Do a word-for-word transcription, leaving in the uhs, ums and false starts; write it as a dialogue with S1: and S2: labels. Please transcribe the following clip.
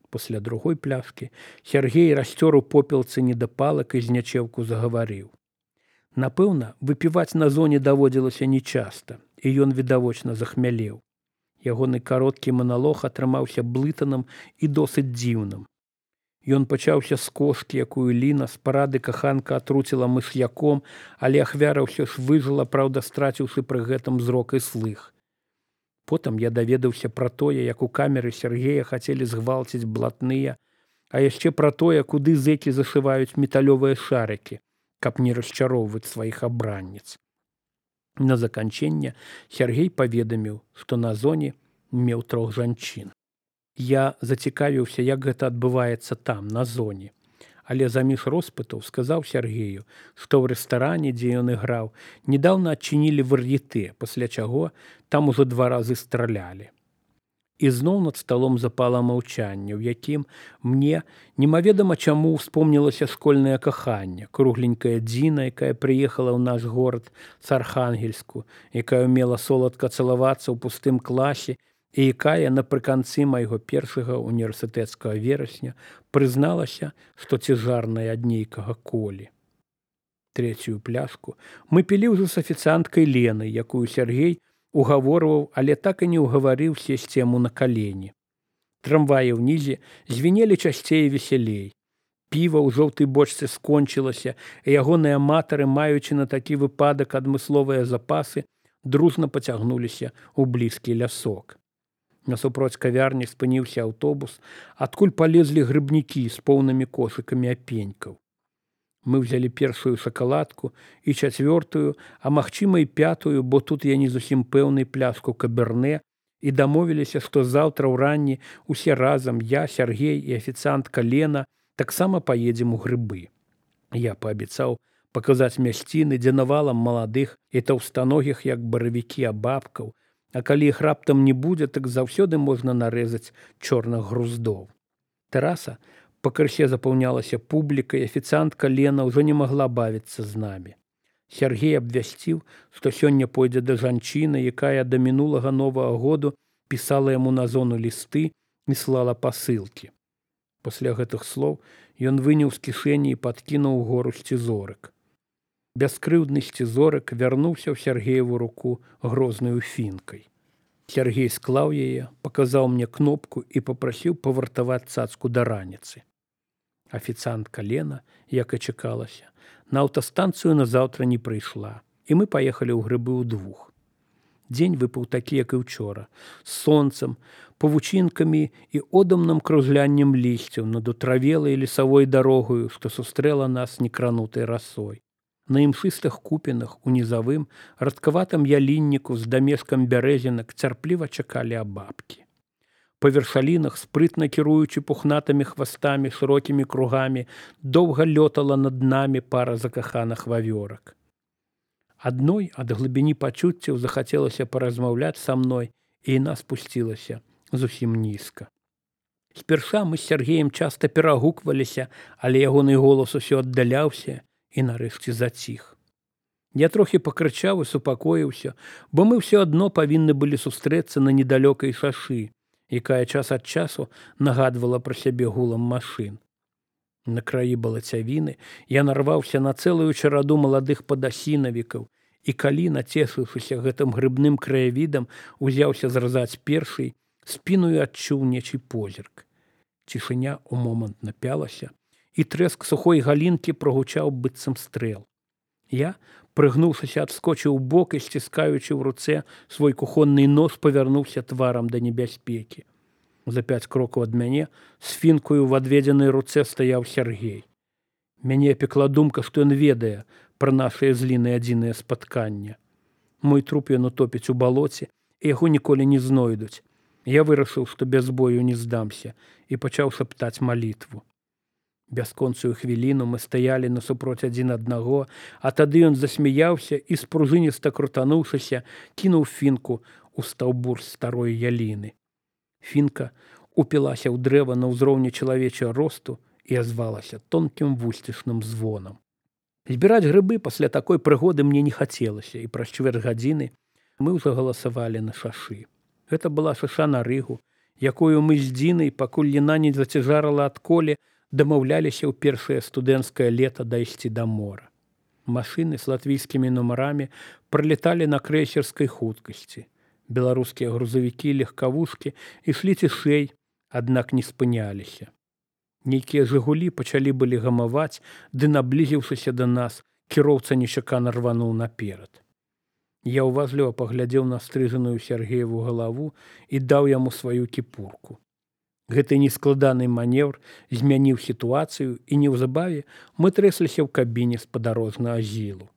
S1: Пасля другой пляшкі Сяргей расцёр у попелцы недапалак і знячэўку загаварыў. Напэўна, выпіваць на зоне даводзілася нечаста, і ён відавочна захмялеў. Ягоны кароткі маналог атрымаўся блытаным і досыць дзіўным. Ён пачаўся з кошкі, якую Ліна з парады каханка атруціла мыш'яком, але ахвяра ўсё ж выжыла, праўда, страціўшы пры гэтым зрок і слых. Потым я даведаўся пра тое, як у камеры Сяргея хацелі згвалціць блатныя, а яшчэ пра тое, куды зэкі зашываюць металёвыя шарыкі, каб не расчароўваць сваіх абранніц. На заканчэнне Сяргей паведаміў, што на зоне меў трох жанчын. Я зацікавіўся, як гэта адбываецца там, на зоне. Але заміж роспытаў сказаў Сяргею, што ў рэстаране, дзе ён іграў, недаўна адчынілі вар'етэ, пасля чаго там ужо два разы стралялі. І зноў над сталом запала маўчанне, у якім мне немаведама чаму ўспомнілася школьнае каханне, кругленькая Дзіна, якая прыехала ў наш горад з Архангельску, якая ўмела соладка цалавацца ў пустым класе, і якая напрыканцы майго першага універсітэцкага верасня прызналася, што цяжарная ад нейкага колі. Трэцюю пляшку мы пілі ўжо з афіцыанткай Ленай, якую Сяргей угаворваў, але так і не ўгаварыў сесці яму на калені. Трамваі ўнізе звінелі часцей і весялей. Піва ў жоўтай бочцы скончылася, і ягоныя аматары, маючы на такі выпадак адмысловыя запасы, дружна пацягнуліся ў блізкі лясок. Насупроць кавярні спыніўся аўтобус, адкуль палезлі грыбнікі з поўнымі кошыкамі апенькаў. Мы ўзялі першую шакаладку і чацвёртую, а магчыма і пятую, бо тут я не зусім пэўны, пляшку каберне, і дамовіліся, што заўтра ўранні усе разам, я, Сяргей і афіцыантка Лена, таксама паедзем у грыбы. Я паабяцаў паказаць мясціны, дзе навалам маладых і таўстаногіх, як баравікі, абабкаў, а калі іх раптам не будзе, так заўсёды можна нарэзаць чорных груздоў. Тэраса пакрысе запаўнялася публікай, афіцыантка Лена ўжо не магла бавіцца з намі. Сяргей абвясціў, што сёння пойдзе да жанчыны, якая да мінулага новага году пісала яму на зону лісты і слала пасылкі. Пасля гэтых слоў ён выняў з кішэні і падкінуў угору сцізорык. Бяскрыўдны сцізорык вярнуўся ў Сяргееву руку грознаю фінкай. Сяргей склаў яе, паказаў мне кнопку і папрасіў павартаваць цацку да раніцы. Афіцыантка Лена, як і чакалася, на аўтастанцыю назаўтра не прыйшла, і мы паехалі ў грыбы ўдвух. Дзень выпаў такі, як і ўчора, з сонцам, павучынкамі і одамным кружляннем лісцяў над утравелай лесавой дарогаю, што сустрэла нас некранутай расой. На імшыстых купінах у нізавым, радкаватым ялінніку з дамешкам бярэзінак цярпліва чакалі абабкі. Па вершалінах, спрытна кіруючы пухнатымі хвастамі, шырокімі кругамі, доўга лётала над намі пара закаханых вавёрак. Адной ад глыбіні пачуццяў захацелася паразмаўляць са мной, і яна спусцілася зусім нізка. Спярша мы з Сяргеем часта перагукваліся, але ягоны голас усё аддаляўся і нарэшце заціх. Я трохі пакрычаў і супакоіўся, бо мы ўсё адно павінны былі сустрэцца на недалёкай шашы, якая час ад часу нагадвала пра сябе гулам машын. На краі балацявіны я нарваўся на цэлую чараду маладых падасінавікаў, і калі, нацешыўшыся гэтым грыбным краявідам, узяўся зразаць першый, спіною адчуў нечый позірк. Цішыня ў момант напялася, і трэск сухой галінкі прогучаў быццам стрэл. Я, прыгнуўшыся, адскочыў у бок і, сціскаючы ў руцэ свой кухонны нож, павярнуўся тварам да небяспекі. За пяць крокаў ад мяне з фінкаю ў адведзенай руцэ стаяў Сяргей. Мяне пекла думка, што ён ведае пра нашае з Лінай адзінае спатканне. Мой труп ён утопіць у балоце, і яго ніколі не знойдуць. Я вырашыў, што без бою не здамся, і пачаў шаптаць малітву. Бясконцую хвіліну мы стаялі насупроць адзін аднаго, а тады ён засмяяўся і, спружыніста крутануўшыся, кінуў фінку ў стаўбур старой яліны. Фінка упілася ў дрэва на ўзроўні чалавечага росту і азвалася тонкім вусцішным звонам. Збіраць грыбы пасля такой прыгоды мне не хацелася, і праз чвэрць гадзіны мы ўжо галасавалі на шашы. Гэта была шаша на рыгу, якую мы з Дзінай, пакуль яна не зацяжарала ад коле, дамаўляліся ў першае студэнцкае лета дайсці да мора. Машыны з латвійскімі нумарамі пралеталі на крэйсерскай хуткасці. Беларускія грузавікі і легкавушкі ішлі цішэй, аднак не спыняліся. Нейкія «Жигулі» пачалі былі гамаваць, ды, наблізіўшыся да нас, кіроўца нечакана рвануў наперад. Я ўважліва паглядзеў на стрыжаную Сяргееву галаву і даў яму сваю кіпурку. Гэты нескладаны маневр змяніў сітуацыю, і неўзабаве мы трэсліся ў кабіне спадарожнага зілу.